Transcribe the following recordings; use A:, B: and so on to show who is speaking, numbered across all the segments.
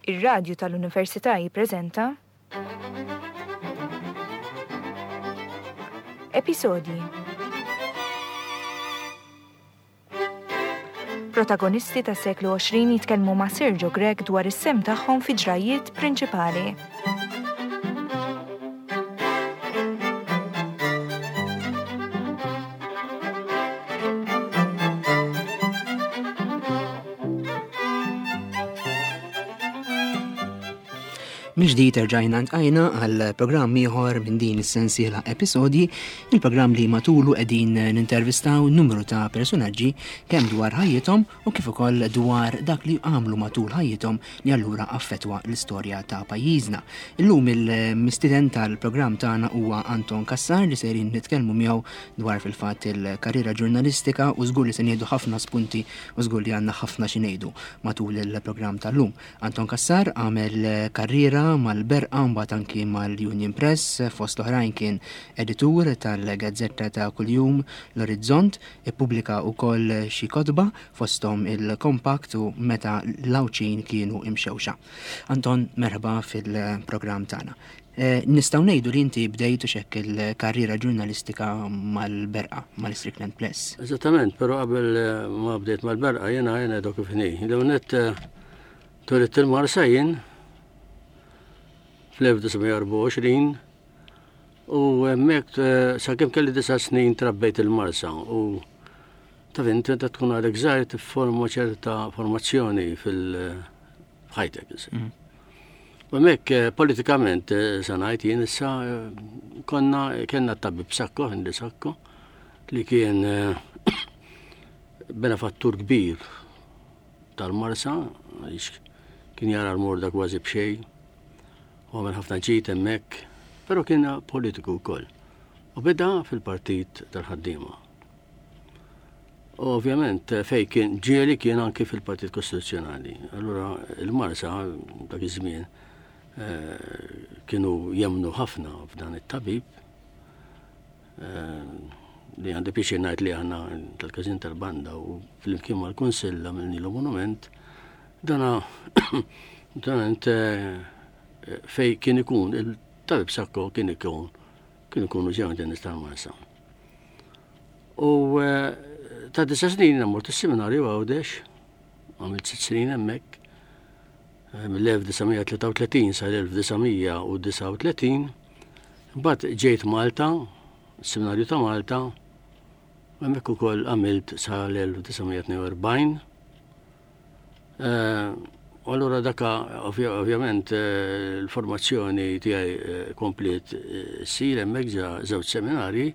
A: Ir-Radju tal-Università jippreżenta Episodji Protagonisti tas-seklu 20 jitkellmu ma' Sergio Grech dwar is-sehem tagħhom fi ġrajjiet prinċipali.
B: Mill-ġdid erġajna ntqajna għal programm ieħor minn din is-sensiela episodji, il-programm li matulu qegħdin nintervistaw numru ta' personaġġi kemm dwar ħajjithom u kif ukoll dwar dak li għamlu matul ħajjithom li allura affettwa l-istorja ta' pajjiżna. Illum il-mistieden tal-programm tagħna huwa Anton Cassar li sejrin nitkellmu miegħu dwar fil-fatt il-karriera ġurnalistika u żgur li se nieħdu ħafna spunti u żgur li għandna ħafna xi ngħidu matul il-programm tal-lum. Anton Cassar għamel karriera mal-Berqa mbagħad anki mal-Union Press, fost oħrajn kien editur tal-gazzetta ta' kuljum L-Orizzont, ippubblika wkoll xi kotba fosthom il-Compact u Meta l-Għawdxin kienu imxewxa. Anton, merħba fil-programm tagħna. Eh, nistgħu ngħidu li inti bdejt u xekk il-karriera ġurnalistika mal-Berqa, mal-Strickland Press.
C: Eżattament, però qabel eh, ma bdejt mal-Berqa jiena jiena dok kif inhi. L-ewwel eh, twelidt il-Marsa jien fl-1924 u hemmhekk sakemm kelli disa' snin trabbejt il-Marsa u taf inti meta tkun għadek żgħir tifforma ċerta formazzjoni fil-ħajtek. Mm. U hemmhekk eh, politikament eh, sa ngħid jien issa eh, konna kellna t-tabib Sakko, Henry Sakko, li kien benefattur kbir tal-Marsa, għaliex kien jara l-morda kważi b'xejn, u għamel ħafna ġid hemmhekk, però kien politiku wkoll. U beda fil-partit tal-ħaddiema. U ovvjament fej kien ġieli kien anki fil-Partit Kostituzzjonali. Allura il-Marsa dak iż-żmien eh, kienu jemnu ħafna f'dan it-tabib eh, li għandi pjaċir ngħid li aħna tal-każin tal-banda u flimkien mal-Kunsill għamilnilu monument dana dana eh, fej kien ikun il-tabib Sakko kien ikun kien ikunu ġew nies tal-Marsa. U eh, ta' disa snin mort is-seminarju Għawdex, għamilt sitt snin hemmhekk, eh, mill-1933 sal-1939, mbagħad ġejt Malta, seminarju ta' Malta, hemmhekk ukoll għamilt sal-1942. Eh, u allura daka ovvjament l-formazzjoni tiegħi kompliet ssir hemmhekk ġa żewġ seminarji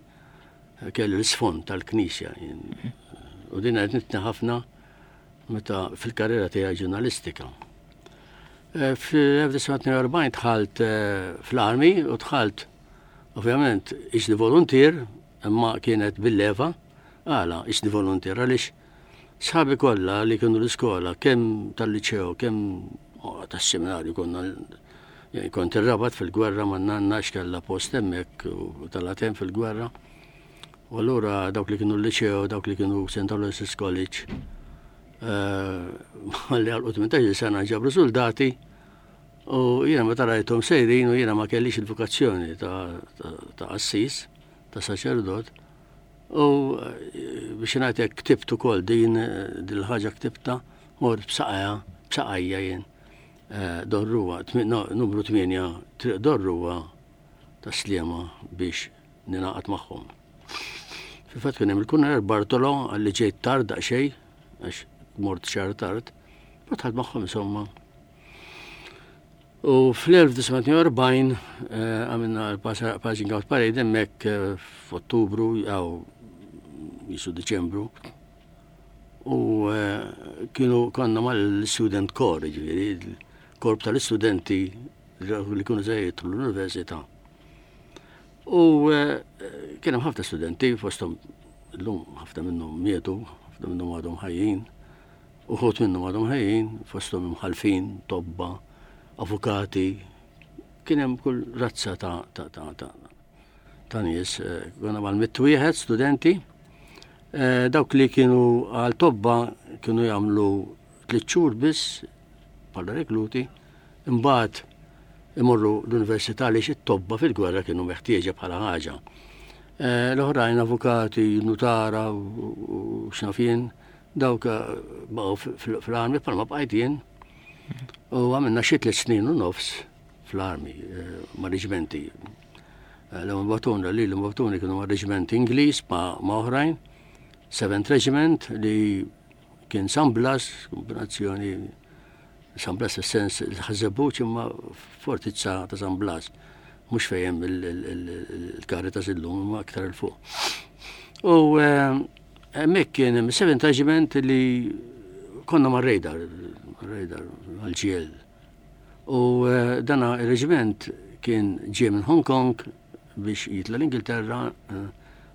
C: kelli l-isfond tal-Knisja. U din għednitni ħafna meta fil-karriera tiegħi ġurnalistika. Eh, fl-1942 dħalt eh, fl-armi u dħalt ovvjament iġni voluntier imma kienet bil-leva għala iġni voluntier għaliex sħabi kollha li kienu l-iskola kemm tal-liċeo kemm oh, tas-seminarju konna Kont ir-Rabat fil-gwerra ma' nanna għax kellha post hemmhekk u telgħet hemm fil-gwerra. U allura dawk li kienu l-liċeo, dawk li kienu St. Aloysius College, eh, li għalqu 18 sena ġabru soldati u jiena meta rajthom sejrin u jiena ma kellix il-vokazzjoni ta' qassis, ta' saċerdot, u eh, biex ngħidlek ktibt ukoll din dil-ħaġa ktibta mort b'saqajja, b'saqajja jien. Eh, Dorruwa, numru 8, triq Dorruwa ta' Sliema biex ninaqat magħhom. Fil-fatt kien hemm il-Kuner Bartolo għalli ġejt tard daqsxejn, għax mort xahar tard, ma tħadd magħhom insomma. U fl-1948 eh, għamilna l-Passing Out Parade hemmhekk eh, f'Ottubru jew jisu Diċembru U eh, kienu konna mal-student corps, ġifieri, korp tal-istudenti li kienu se jidħlu l-università. U eh, kien hemm ħafna studenti fosthom illum ħafna minnhom mietu, ħafna minnhom għadhom ħajjin, uħud minnhom għadhom ħajjin, fosthom imħalfin, tobba, avukati, kien hemm kull razza ta' ta' ta' ta' ta' nies, eh, konna mal-mitt wieħed studenti, eh, dawk li kienu għal tobba kienu jagħmlu tliet xhur biss bħala rekluti. Imbagħad imorru l-università għaliex it-tobba fil-gwerra kienu meħtieġa bħala ħaġa. Eh, l-oħrajn avukati, nutara u x'naf jien, dawk eh, baqgħu fl-armi bħalma bqajt jien. U għamilna xi tliet snin u nofs fl-armi, eh, ma' reġimenti. L-ewwel batuna li l-batuni kienu ma' reġiment Ingliż ma' oħrajn, Seventh Regiment li kien San Blas, kombinazzjoni San Blas fis-sens il-Ħaż-Żebbuġ imma fortizza ta' San Blas, mhux fejn hemm il-Caritas illum imma aktar 'il fuq. U eh, hemmhekk kien hemm Seventh Regiment li konna mar-radar, mar-radar għal-ġiel. U eh, dana ir-reġiment kien ġie minn Hong Kong biex jitla l-Ingilterra, eh,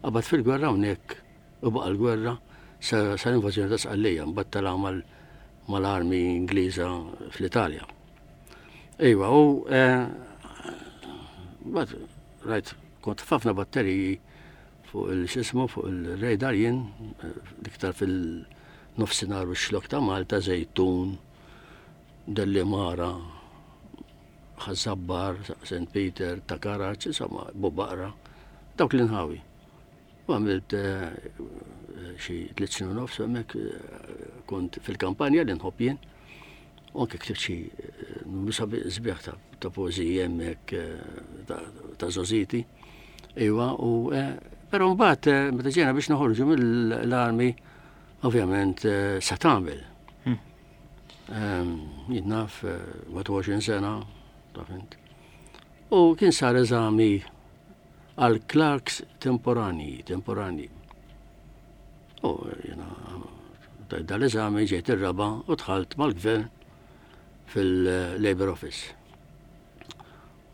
C: qabad fil-gwerra hawnhekk u baqa' l-gwerra sa l-invażjoni ta' Sqallija, mbagħad tala' mal-armi Ingliża fl-Italja. Ejwa, u eh, mbagħad rajt kont f'ħafna batteriji fuq il-xismu fuq il-radar jien eh, l-iktar fil-nofsinhar u x-xlok ta' Malta, Zejtun, Dellimara, Ħaż-Żabbar, St. Peter, ta' Karaċ, insomma, Bubaqra, dawk l-inħawi. U għamilt eh, xi tliet snin u nofs hemmhekk eh, kont fil-kampanja li nħobb jien. U anke ktibt xi eh, numru sbieħ ta' poeżiji hemmhekk ta' żożiti. Iwa, u però mbagħad meta ġejna biex noħorġu mill-armi, ovvjament sa tagħmel. Hmm. Ehm, jien naf 21 sena, taf int. U kien sar eżami għal clerks temporanji, temporanji. U jena tajt dal-eżami ġejt ir-raba u dħalt mal-gvern fil-Labor Office.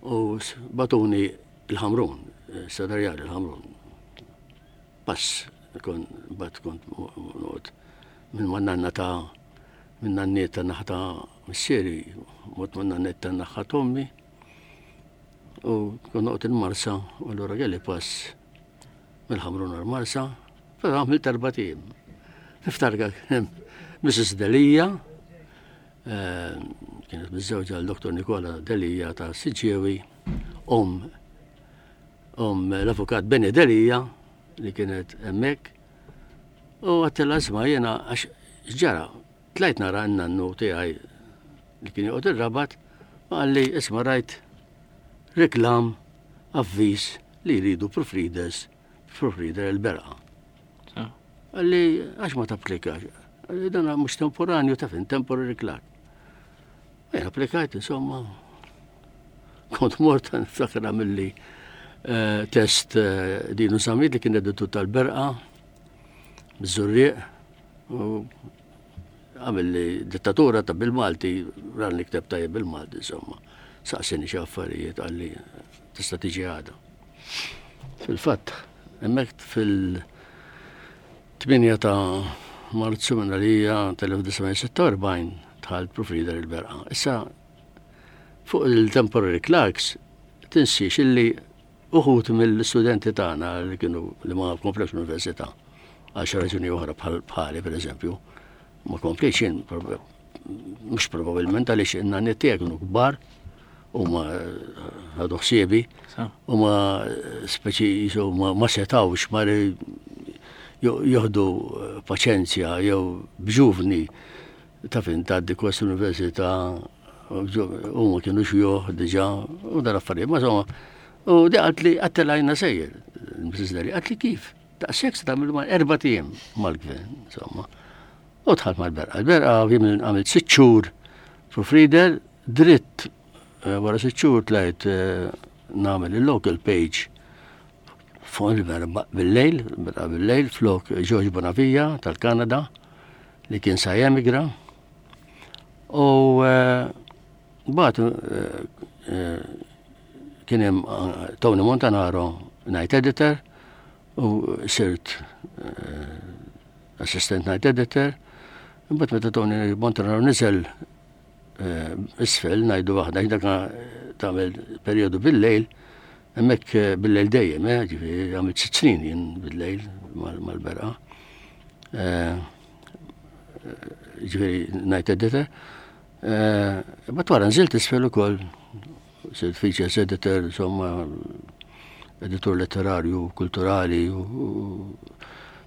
C: U batuni il-Ħamrun, sadarjali il-Ħamrun. Pass, kon, bat kont noqgħod minn ma' nanna ta' minn nanniet ta' naħa ta' missieri, mort ma' nanniet ta' naħa t'ommi. U kont noqgħod il-Marsa, u allura kelli pass mill-Ħamrun għall-Marsa, però għamilt erbat ijiem. Niftakar kien Mrs. Delia, eh, kienet miżżewġa l Dr. Nikola Delia ta' Siġġiewi, om om l-avukat Benny Delia li kienet hemmhekk. U għattela isma' jiena għax ġara, tlajt nara n-nannu tiegħi li kien joqgħod ir-Rabat u qalli isma' rajt reklam avviż li jridu proofreaders, proofreader il-berqa. Qalli għax ma tapplikax? Qalli dan mhux temporanju taf temporary clerk. Jien applikajt insomma. Kont mort niftakar għamilli eh, test eh, dinu samit li kien editur tal-berqa, biż-żurrieq, u Għamilli dittatura ta' bil-Malti, ran li kteb tajjeb bil-Malti, insomma. Saqsini xi affarijiet qalli tista' tiġi għada. Fil-fatt, hemmhekk fil-8 ta' Marzu minn għalija tal-1946 dħalt proofreader il-berqa. Issa fuq il-temporary clerks tinsiex illi Uħud mill-istudenti tagħna li kienu li ma komplewx l-università għal xi raġuni oħra bħali pereżempju, ma komplejtx jien mhux probabbilment għaliex in-nanniet tiegħi kienu kbar u ma ħadu ħsiebi u ma speċi jisu ma setawx ma joħdu paċenzja jew b'ġuvni Taf int tgħaddi kors l-università huma kienu xjuħ diġà u dal-affarijiet. Ma insomma, u di qalt li għattelajna sejjer, Mrs. Deli, qalt li kif? Daqshekk se tagħmel ma' erba' ijiem mal-gvern, insomma. U dħalt mal-berqa. Il-berqa għamilt sitt xhur proofreader, dritt eh, wara sitt xhur tlajt eh, nagħmel il-local page fuq il-berqa bil-lejl, berqa bil-lejl, flok George Bonavia tal-Kanada li kien sa jemigra u eh, bat eh, eh, kien hemm Tony Montanaro night editor u sirt assistant night editor. Imbagħad meta Tony Montanaro niżel isfel ngħidu waħda dak tagħmel perjodu bil-lejl, hemmhekk bil-lejl dejjem, ġifieri għamilt sitt snin jien bil-lejl mal-berqa. Ġifieri night editor. Imbagħad wara nżilt isfel ukoll, sirt features editor, insomma, editur letterarju, kulturali, u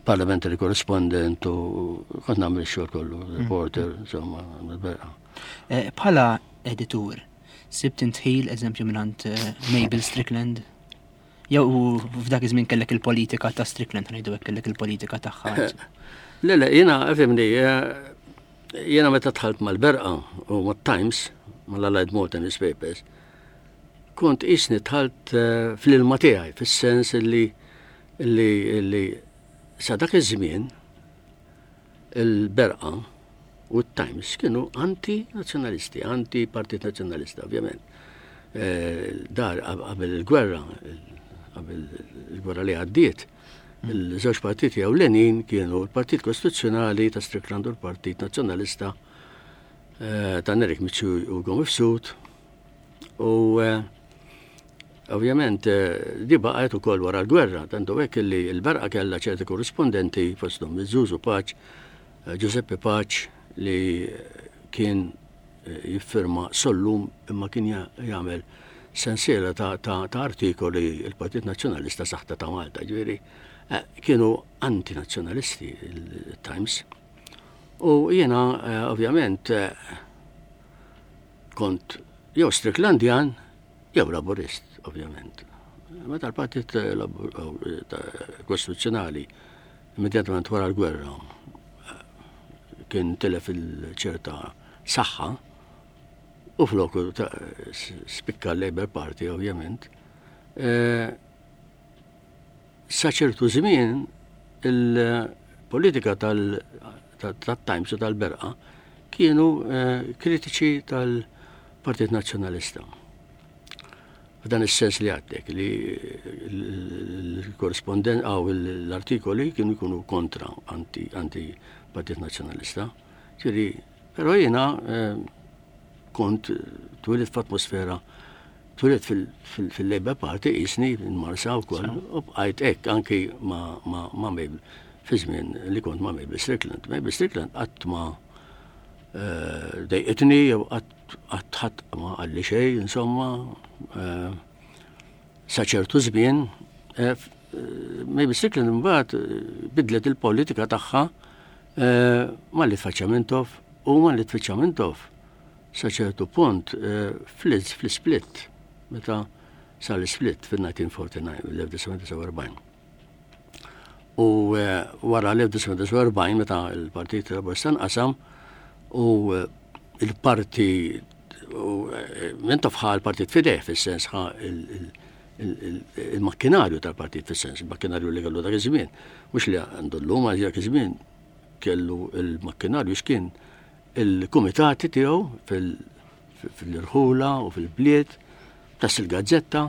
C: parliamentary correspondent u kont nagħmel ix-xogħol kollu, mm. reporter, insomma, berqa.
B: Eh, bħala editur, sibt intħil eżempju mingħand eh, Mabel Strickland? Jew f'dak iż-żmien kellek il-politika ta' Strickland, ngħidu hekk kellek il-politika tagħha.
C: Le, le, jiena fimni, eh, jiena meta dħalt mal-Berqa u mat-Times, mal-Allied Malta Newspapers, kont qisni dħalt eh, fl-ilma tiegħi, fis-sens li li li sa dak iż-żmien il-Berqa u t-Times kienu anti-nazzjonalisti, anti-Partit Nazzjonalista, ovvjament. Eh, dar qabel il-gwerra, qabel il-gwerra li għaddiet, il-żewġ partiti ewlenin kienu l-Partit Kostituzzjonali ta' Strickland u l-Partit Nazzjonalista eh, ta' Nerik Mizzi u Gomifsud. U eh, ovvjament di baqgħet ukoll wara l-gwerra, tantu hekk li l-berqa kellha ċerti korrispondenti fosthom Zuzu Paċ, Giuseppe Pace li kien jiffirma Sollum imma kien jagħmel sensiela ta', ta, ta artikoli il-Partit Nazzjonalista saħta ta' Malta, ġifieri eh, kienu antinazzjonalisti il-Times. U jiena eh, ovvjament eh, kont jew Stricklandian jew Laburist, ovvjament. Meta l-Partit Kostituzzjonali Immedjatament wara l-gwerra kien tilef il-ċerta saħħa u floku spikka l-Labour Party ovvjament. E, sa ċertu żmien il-politika tal-Times u tal-Berqa kienu e, kritiċi tal-Partit Nazzjonalista. F'dan is-sens li għadtek li l-korrespondent għaw l-artikoli kienu jkunu kontra anti, anti Partit Nazzjonalista. Ġifieri, però jiena eh, kont twilit f'atmosfera twilit fil-Labour Party jisni marsa wkoll u bqajt hekk anki ma' Mabel fi żmien li kont ma' Mabel Strickland. Mabel Strickland qatt ma eh, dejqitni jew qatt Qatt ħadd ma qalli xejn, insomma, eh, sa ċertu żmien, eh, Maybe Strickland imbagħad eh, bidlet il-politika tagħha malli tfaċċa Mintoff u malli tfittxa Mintoff sa ċertu punt fl-split meta sar l-split fil-1949, l-1949. U eh, wara l-1949 meta l-Partit Laburista nqasam u eh, il-parti eh, minn taf ħa l-partit fideh fis-sens ħa il-makkinarju tal-partit fis-sens, il-makkinarju li kellu dak iż-żmien, mhux li għandu llum għal dak iż-żmien kellu il-makkinarju x'kien il-kumitati tiegħu fil-irħula u fil-bliet tas il-gazzetta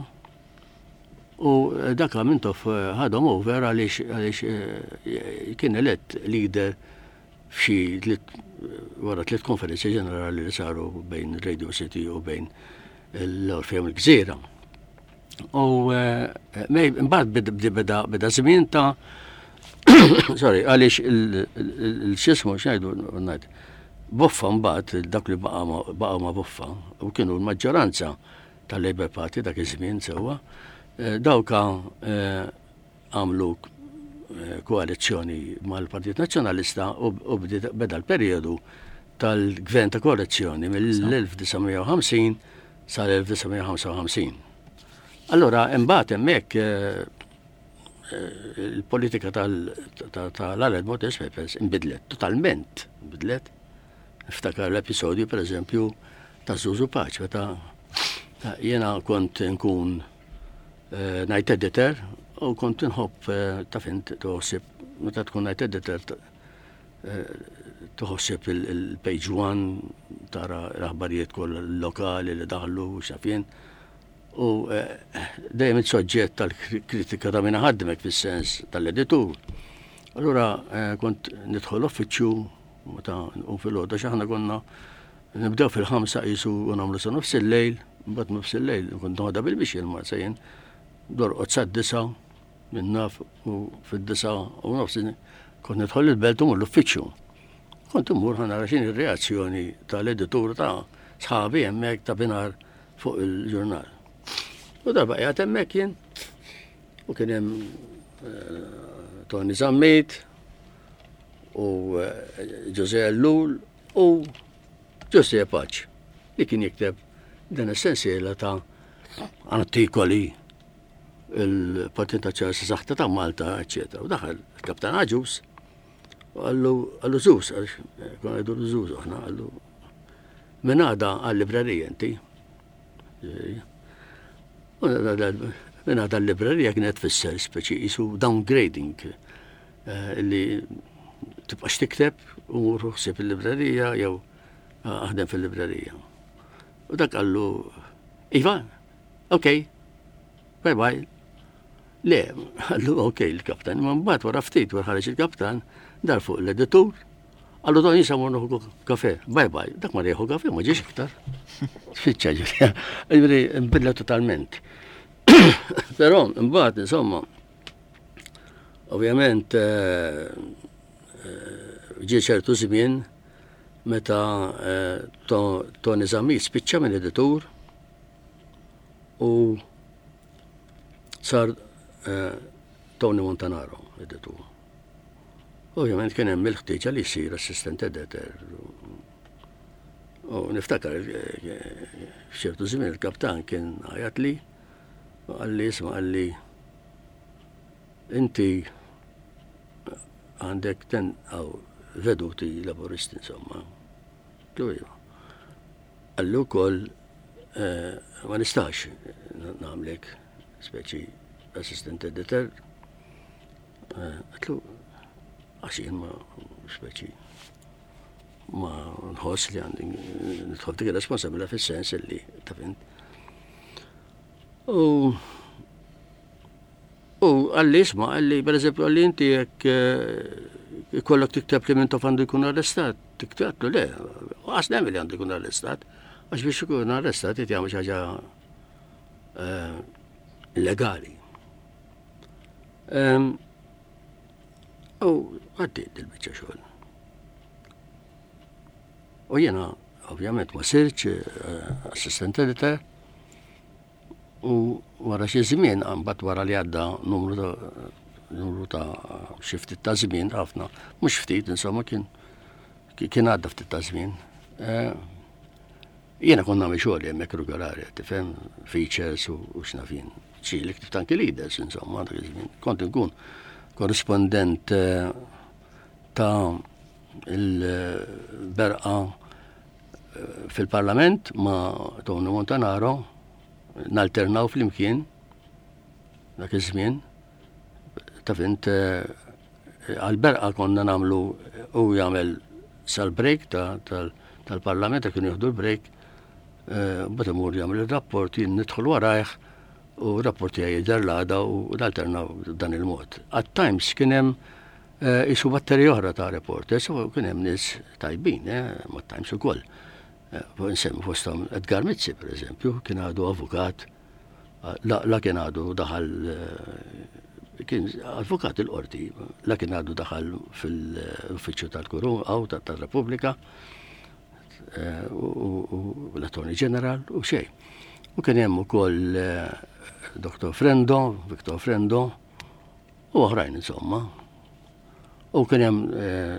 C: U dak Mintoff ħadhom over għaliex għaliex eh, kien elett leader f'xi tliet wara tliet konferenzi ġenerali li saru bejn Radio City u bejn l-Orfeum il-Gżira. U eh, mbagħad beda beda żmien ta' sorry, għaliex il-xismu x'ngħidu ngħid. Boffa mbagħad dak li baqa' ma' Boffa u kienu l-maġġoranza tal-Labour Party dak iż-żmien sewwa, eh, dawka eh, għamlu eh, koalizzjoni mal-Partit Nazzjonalista u beda l-perjodu tal-gvern ta' koalizzjoni mill-1950 sal-1955. Allora, imbagħad hemmhekk il-politika tal-Allied Motors Papers inbidlet, totalment inbidlet. Niftakar l-episodju, per eżempju, ta' Zuzu Paċ, meta jiena kont nkun eh, night editor u kont nħobb eh, ta' fint toħsib, meta tkun night editor eh, toħsib il-page one tara l-aħbarijiet kollha lokali li daħlu xafien. U dejjem il-soġġett tal-kritika ta' minna ħadmek fis-sens tal-editur. Allura kont nidħol uffiċċju Meta nqum filgħodu għax aħna konna nibdew fil-ħamsa qisu u nagħmlu sa nofs il-lejl, mbagħad nofs il-lejl kont noħodha bil-mixi l-marsa jien, dorqod sad-disa' minn naf u fid-disa' u nofs kont nidħol il-belt u l-uffiċċju. Kont immur ħa nara x'inhi r-reazzjoni tal-editur ta' sħabi hemmhekk ta' binar fuq il-ġurnal. U darba qiegħed hemmhekk jien u kien hemm eh, Tony Zammit u eh, Jose Ellul u Jose Paċ li kien jikteb din is-sensiela ta' artikoli il-Partit Nazzjonalista Saħta ta' Malta, eċetera. U daħal il-Kaptan Aġus u għallu għallu Żuż, għaliex eh, konna ngħidu Żuż aħna, għallu minn għada għal-librerija inti. Minn għada l-librerija kienet tfisser speċi jisu downgrading eh, li tibqax tikteb u mur ħsieb il-librerija jew eh, aħdem fil-librerija. U dak għallu, Iva, ok, bye bye. Le, għallu ok il-kaptan, ma mbagħad wara ftit wara ħareġ il-kaptan, dar fuq l-editur, għallu don jisa mornu kafe, bye bye, dak ma rieħu kafe, ma ġiex iktar. Spiċċa ġifieri, ġifieri nbidla totalment. Però mbagħad insomma, ovvjament eh, eh, ġie ċertu żmien meta eh, Tony Zammit spiċċa minn editur u sar eh, Tony Montanaro editur. Ovvjament kien hemm il-ħtieġa li jsir assistant editor. U niftakar eh, f'ċertu żmien il-kaptan kien għajat li qalli isma' qalli inti għandek ten għaw veduti laburisti insomma. Tu iva. Qalli wkoll eh, ma nistax nagħmlek speċi assistant editor. Eh, għatlu għax jien ma speċi ma nħoss li għandi nidħol dik ir-responsabilità fis-sens li taf int. U U għalli isma, għalli per eżempju għalli inti jekk eh, ikollok tikteb li minn għandu jkun arrestat, tikteb le, għas nemmen li għandu jkun arrestat, għax biex ikun arrestat jt jagħmel xi ħaġa eh, illegali. Ehm, u għaddiet il-biċċa xogħol. U jiena ovvjament ma sirċ eh, assistant editor, U wara xi żmien, mbagħad wara li għadda numru ta' numru ta' xi ftit ta' żmien ħafna, mhux ftit insomma kien kien għadda ftit ta' żmien. Eh, jiena konna nagħmel xogħol hemmhekk regolari, tifhem, features u x'naf jien. Xi li ktibt anki leaders insomma dak iż-żmien. Kont inkun korrispondent eh, ta' il-berqa fil-Parlament ma' Tony Montanaro nalternaw flimkien dak iż-żmien taf int eh, għal-berqa konna namlu u jagħmel sal-break tal-parlament ta kienu jieħdu l-break eh, mbagħad imur jagħmel ir-rapport jien nidħol warajh u rapport tiegħi jidher l-għada u nalternaw dan il-mod. At times kien hemm eh, isu batterija oħra ta' reporters u kien hemm nies tajbin, eh, ma' Times ukoll. Eh, nsemmi fosthom Edgar Mizzi, per eżempju, kien għadu avukat, la, la kien għadu daħal kien avukat il-qorti, la kien għadu daħal fil-uffiċċju tal-Kurun għaw tal-Repubblika, u l-Attorney General u xejn. U kien hemm ukoll Dr. Frendo, Victor Frendo, u oħrajn insomma. U kien hemm eh,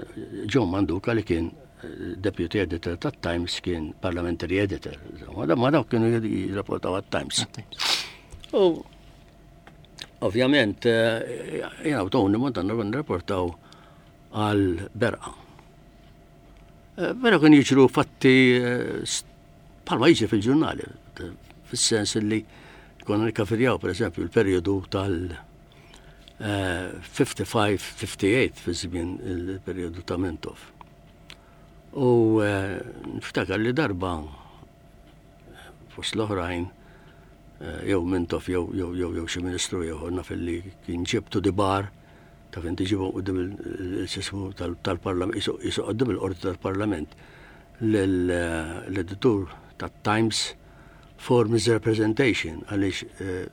C: John Manduka li kien eh, deputy editor tat Times kien parliamentary editor. Ma dawk kienu jirrapportaw għat-Times. U ovvjament eh, jena u Tony Montana nirrapportaw għal berqa. Però kien jiġru fatti bħalma jiġri fil-ġurnali, fis-sens li konna nikkafirjaw per eżempju l-perjodu tal- 55-58 fi żmien il-perjodu ta' Mintoff. U eh, niftakar li darba fost l-oħrajn eh, jew Mintoff jew jew jew jew xi ministru ieħor naf li kien ġibtu di bar ta' fejn tiġibu qudiem il-sismu tal-parlament, jisu qudiem il-qorti tal-parlament l-editur tat-Times for misrepresentation għaliex eh,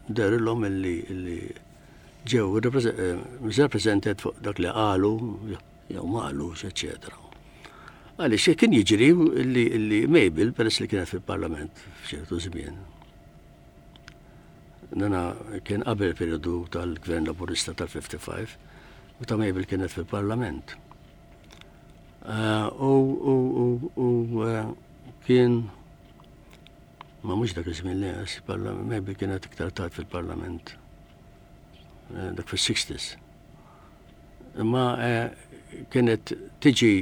C: Dehrilhom illi ġew misrepresented fuq dak li qalu jew ma qalux, eċċetera. Għaliex kien jiġri li Mabel, peress li kienet fil-Parlament f'ċertu żmien, Dana kien qabel periodu tal-Gvern Laburista tal-55, meta Mabel kienet fil-Parlament. Eh, u eh, kien ma mhux dak iż-żmien li għas, Mabel kienet iktar tard fil-Parlament. Eh, dak fis-60s. Imma kienet tiġi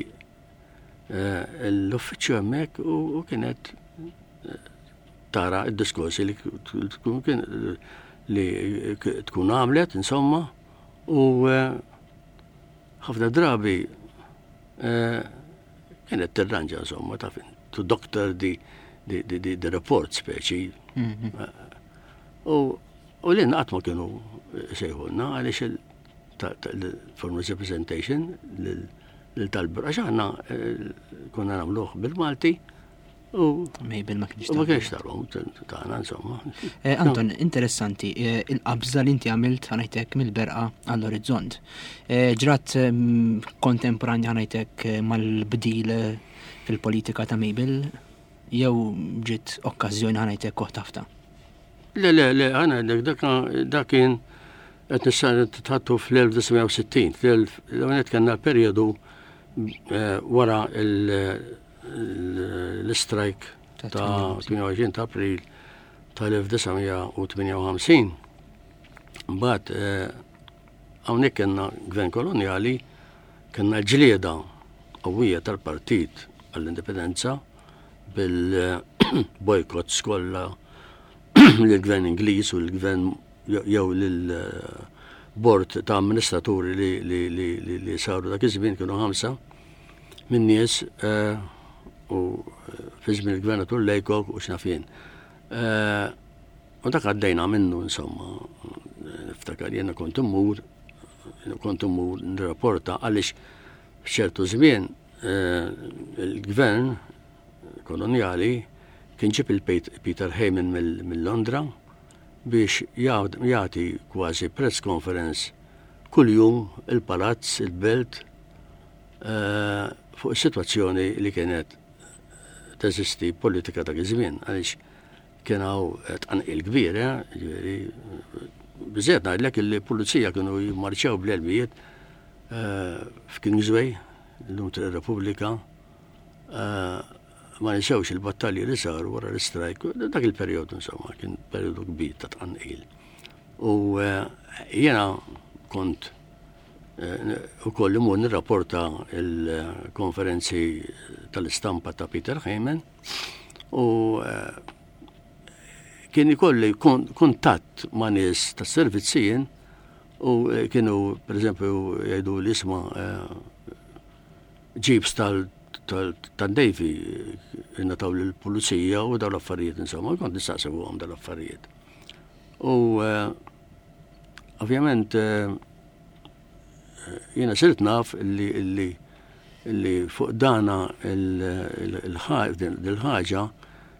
C: l-uffiċċju hemmhekk u kienet tara d-diskorsi li tkun kien li tkun għamlet, insomma, u eh, ħafna drabi eh, kienet tirranġa, insomma, ta' fin, to doctor the, the, the, the, the report speċi. Mhm. Eh, u u li qatt ma kienu sejħulna għaliex il-formal representation lil tal-bur, għax aħna konna nagħmluh bil-Malti U
B: Mabel ma kienx
C: Ma kienx tarhom tagħna insomma.
B: Eh, Anton, interessanti, eh, il-qabża li inti għamilt ħanajtek mill-berqa għall-orizzont. Eh, ġrat mm, kontemporanja ħanajtek mal-bdil fil-politika ta' Mabel jew ġiet okkażjoni ħanajtek koħtafta?
C: Le, le, le, għana dak dak kien qed nista' tħattu fl-1960, fl-19 kellna periodu wara il- l-istrajk ta' 28 ta' April tal-1958. Mbagħad eh, hawnhekk kellna gvern kolonjali, kellna ġlieda qawwija tal-partit għall-indipendenza bil-boycotts kollha lill-gvern Ingliż u l-gvern jew lil bord ta' amministraturi li saru dak iż-żmien kienu ħamsa minn nies eh, u eh, fi żmien il-gvernatur Lejkok u x'naf jien. Eh, u dak għaddejna minnu insomma, niftakar jiena kont immur, kont immur nirrapporta għaliex f'ċertu żmien il-gvern kolonjali kien ġib il-Peter Heyman mill-Londra biex jagħti kważi press conference kuljum il-palazz, il-belt, eh, fuq is-sitwazzjoni li kienet teżisti politika dak iż-żmien għaliex kien hawn tqanqil kbir, eh, ġifieri biżejjed ngħidlek li pulizija kienu jimmarċjaw bl-elmijiet eh, f'Kingsway, illum Triq Repubblika, ma ninsewx il-battalji li saru wara l-istrajk, dak il-perjodu insomma, kien perjodu kbir ta' tqanqil. U eh, jiena kont eh, ukoll imur nirrapporta il-konferenzi tal-istampa ta' Peter Heyman u eh, kien ikolli kuntatt ma' nies tas-servizzijin u kienu per eżempju jgħidu li isma' ġibs tal-Navy ingħataw lill-pulizija u dawn l-affarijiet insomma, kont nistaqsi fuqhom dawn l-affarijiet. U eh, ovvjament eh, jiena sirt naf li li li fuq dana il-ħaġa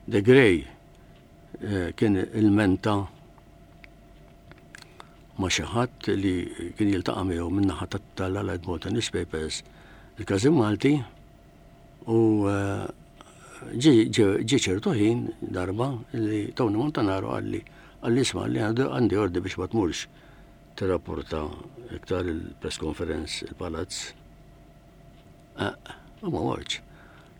C: De Grey eh, kien il-menta ma' xi ħadd li kien jiltaqa' miegħu min-naħa tal-Allied Malta Newspapers, il-Każin Malti, u eh, ġie ċertu ħin darba li Tony Montanaro qalli qalli isma' li għandi ordi biex ma tmurx tirrapporta iktar il-press conference il-palazz. Eh, u ma mortx.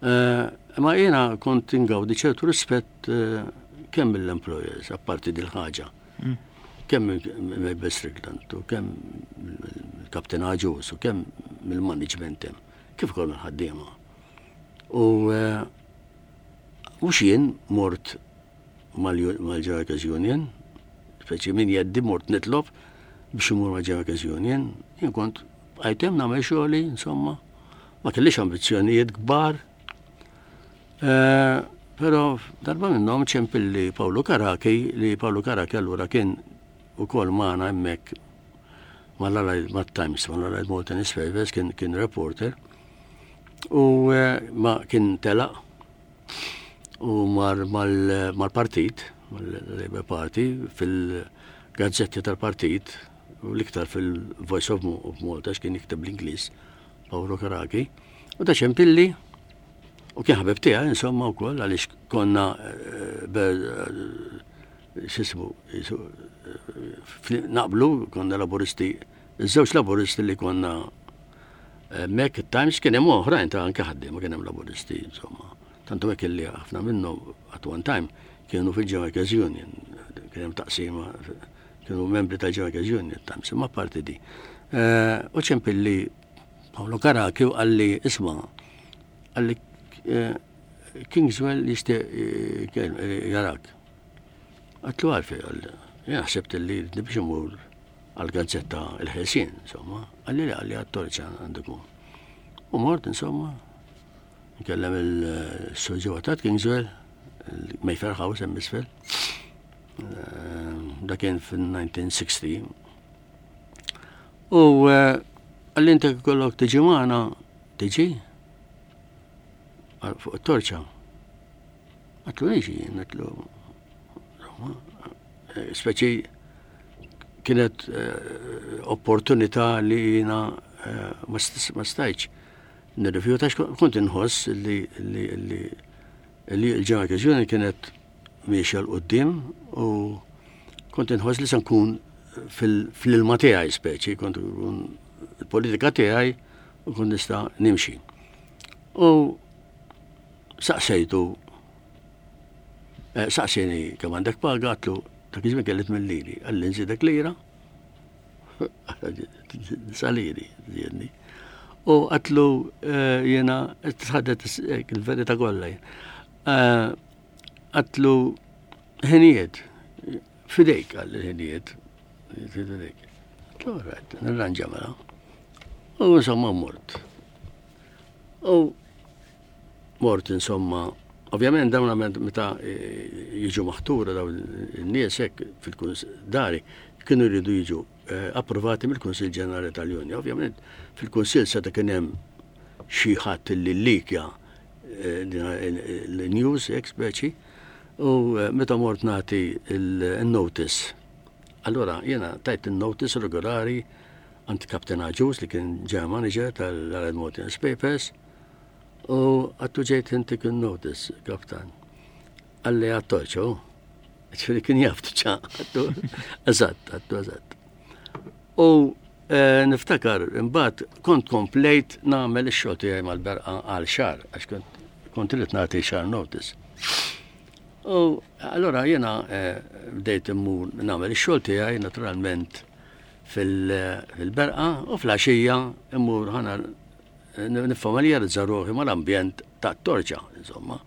C: Eh, ma jiena kont ingawdi ċertu rispett eh, kemm mill-employers, apparti dil-ħaġa. Mm. Kemm mill Strickland u kemm mill-Kapten Aġus u kemm mill-management hemm, kif ukoll mill-ħaddiema. U eh, mhux jien mort mal-Workers Union, speċi min jeddi mort nitlob biex imur mal-Workers Union, jien kont għajtem nagħmel xogħli, insomma, ma kellix ambizzjonijiet kbar. Eh, però darba minnhom ċempilli Paolo Karaki li Paolo Karaki allura kien ukoll magħna hemmhekk mal-Allied mat-Times, mal-Allied Malta Newspapers, kien, kien reporter. U eh, ma kien telaq u mar mal-partit, mal-Labour Party, fil-gazzetti tal-partit, u l-iktar fil-Voice of Malta, x'kien jikteb l-Ingliż, Paolo Karaki, u ta' ċempilli. U kien ħabib tiegħi insomma wkoll għaliex konna x'ismu naqblu konna laburisti, iż-żewġ laburisti li konna hemmhekk it-Times kien hemm oħrajn ta' anke ħaddiema kien hemm laburisti insomma. Tantu hekk illi ħafna minnhom at one time kienu fil-Workers Union, kien hemm taqsima kienu membri tal-Workers Union Times, imma parti di. U ċempilli Paolo Caracchi u qalli isma' qalli Kingswell jixtieq jarak. Għatlu għalfej, għalli, jien ħsibt li biex imur għal-gazzetta il-ħelsien, insomma, għalli li għalli għat-torċa għandu U mort, insomma, nkellem il-surġiwa ta' Kingswell, il-Mayfair House hemm isfel. Da kien fil-1960. U għalli inti kollok tiġi magħna, tiġi fuq it-torċa. Għatlu niġi, għatlu, speċi kienet opportunità li jina ma stajċ nirrifjuta kont inħoss li li l-ġemma kienet miexja 'l quddiem u kont inħoss li se nkun fl-ilma tiegħi speċi, kont nkun il-politika tiegħi u kont nista' nimxi. U saqsejtu, eh, saqsini kemm għandek paga, għatlu dak iż-żmien kelli tmien liri, qalli nżidek lira, saliri, żiedni. U għatlu eh, jena tħaddet il-verità kollha. Eh, għatlu ħinijiet, fidejk għal ħinijiet, fidejk. Għatlu rajt, nirranġa mela. U insomma mort. U mort insomma, ovvjament dawn meta eh, jiġu maħtura dawn in-nies hekk fil-dari kienu jridu jiġu eh, approvati mill-Kunsill Ġenerali tal-Unja. Ovvjament fil-Kunsill seta' kien hemm xi ħadd li llikja l-news hekk speċi u eh, meta mort nagħti il-notice. Allora jiena tajt il-notice regolari għand Captain Agius li kien general manager tal-Allied Malta Newspapers u għattu ġejt intik il-notice, kaptan. Għalli għat-torċa, ġifieri kien jaf diġà, għattu, eżatt, għattu eżatt. U eh, niftakar, imbagħad kont komplejt nagħmel ix-xogħol tiegħi mal-berqa għal xahar, għax kont kont irid nagħti xahar notice. U allora jiena eh, bdejt immur nagħmel ix-xogħol tiegħi naturalment fil-berqa u fl-għaxija immur ħana niffamiljarizza ruħi mal-ambjent tat-torċa, insomma.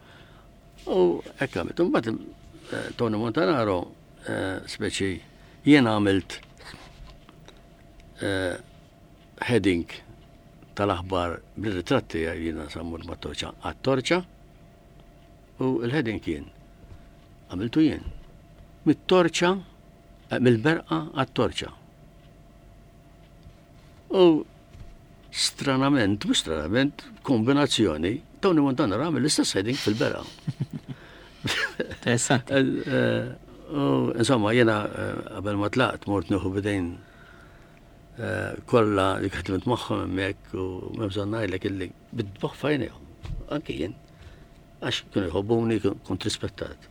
C: U hekk għamilt. Imbagħad eh, Tony Montanaro eh, speċi jien għamilt eh, heading tal-aħbar bil-ritratti jiena sammur mat-torċa għat-torċa u l-heading kien għamiltu jien mit-torċa mill-berqa għat-torċa. U stranament, mhux stranament, kombinazzjoni, Tony Montana għamel l-istess heading fil-berqa.
B: Interessanti.
C: Eh, eh, u insomma, jena eh, qabel ma tlaqt mort nieħu bidejn kollha li ħdimt magħhom hemmhekk u m'hemm bżonn ngħidlek illi bid-dboħ f'għajnejhom. Anki jien. Għax kienu jħobbuni, kont rispettat.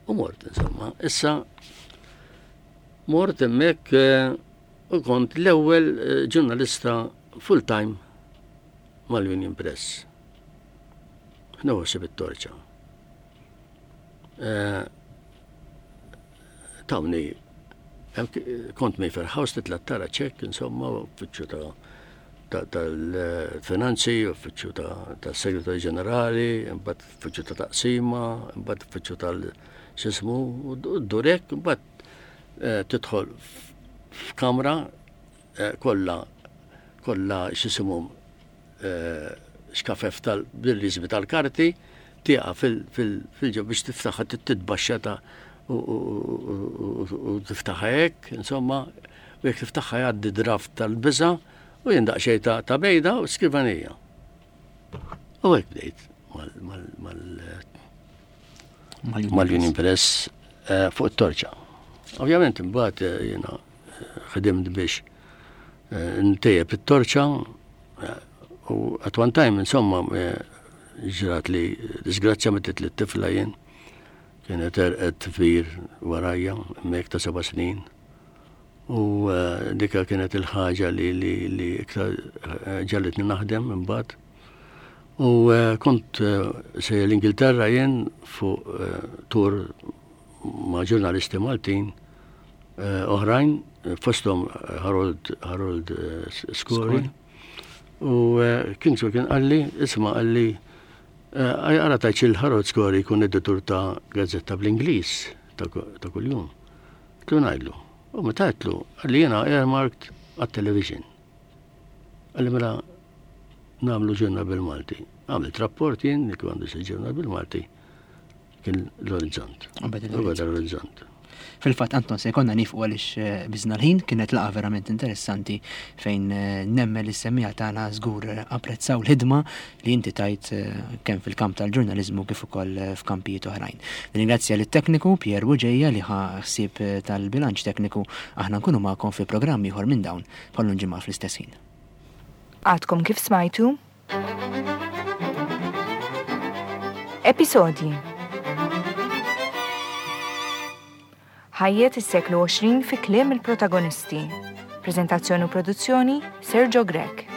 C: U mort, insomma. Issa, mort hemmhekk u kont l-ewwel ġurnalista full-time mal-Union Press. Nħossib it-torċa. Eh, tawni, kont Mayfair House titla' tara ċekk, insomma, uffiċċju ta' tal-finanzi, uffiċċju tal-segretarju ġenerali, imbagħad uffiċċju ta' taqsima, imbagħad uffiċċju tal-xismu, u durek, imbagħad eh, tidħol f'kamra eh, kollha kollha x'isimhom eh, xkafef tal-rizmi tal-karti, tieqa fil-ġo biex tiftaħha titbaxxa ta' u tiftaħha hekk, insomma, u jekk tiftaħha jgħaddi draft tal-biża' u jien daqsxejn ta' bejda u skrivanija. U hekk bdejt mal-Union Press eh, fuq it-torċa. Ovvjament imbagħad eh, jiena ħdimt biex eh, ntejjeb it-torċa. U at one time, insomma, eh, ġrat li disgrazzja metet li t-tifla jien, kienet erqet fir warajja, mek ta' seba' snin. U eh, dika kienet il-ħaġa li li li iktar eh, ġallitni naħdem imbagħad. U kont se l-Ingilterra jien fuq tur ma' ġurnalisti Maltin oħrajn fosthom Harold Harold Skori. U eh, Kingsway kien qalli, isma' qalli, eh, għara tajċ il-Harold Scory jkun editur ta' gazzetta bl-Ingliż ta' kuljum. Tlu ngħidlu. U meta għedtlu, qalli jiena earmarked għat-television. Qalli mela nagħmlu ġurnal bil-Malti. Għamilt rapport jien li għandu xi ġurnal bil-Malti. Kien l-orizzont.
B: L-orizzont. Fil-fatt Anton se jkollna nifqu għaliex eh, biżna l-ħin kienet laqa verament interessanti fejn eh, nemmen li s-semmiegħa tagħna żgur eh, apprezzaw l-ħidma li inti tajt kemm fil-kamp tal-ġurnaliżmu kif ukoll f'kampijiet oħrajn. Nirringrazzja lit-tekniku Pier Buġeja li ħa ħsieb tal-bilanċ tekniku aħna nkunu magħkom fi programm ieħor minn dawn bħal ġimgħa fl-istess ħin.
A: Għadkom kif smajtu Episodji Ħajjet is-seklu 20 fi kliem il-protagonisti. Preżentazzjoni u produzzjoni Sergio Grech.